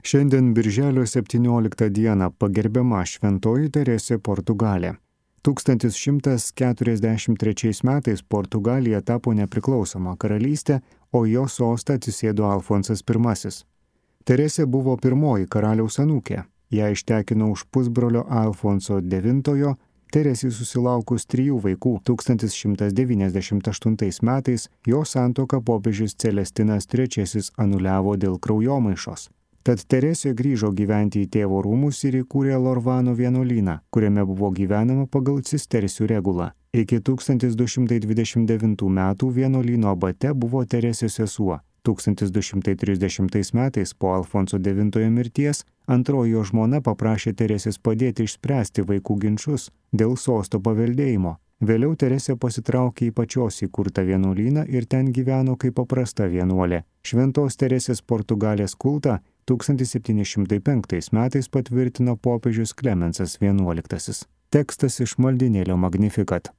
Šiandien birželio 17 dieną pagerbiama Šventoji Teresė Portugalė. 1143 metais Portugalija tapo nepriklausoma karalystė, o jo sostą atsisėdo Alfonsas I. Teresė buvo pirmoji karaliaus anūkė. Ją ištekino už pusbrolio Alfonso IX. Teresei susilaukus 3 vaikų 1198 metais jo santuoką popiežius Celestinas III anuliavo dėl kraujomaišos. Tad Teresė grįžo gyventi į tėvo rūmus ir įkūrė Lorvano vienuolyną, kuriame buvo gyvenama pagal cistercių regulą. Iki 1229 metų vienuolyno abate buvo Teresės sesuo. 1230 metais po Alfonso IX mirties antroji jo žmona paprašė Teresės padėti išspręsti vaikų ginčus dėl sosto paveldėjimo. Vėliau Teresė pasitraukė į pačios įkurtą vienuolyną ir ten gyveno kaip paprasta vienuolė. Šventos Teresės Portugalės kultą 1705 metais patvirtino popiežius Klemensas XI. Tekstas iš maldynėlio Magnificat.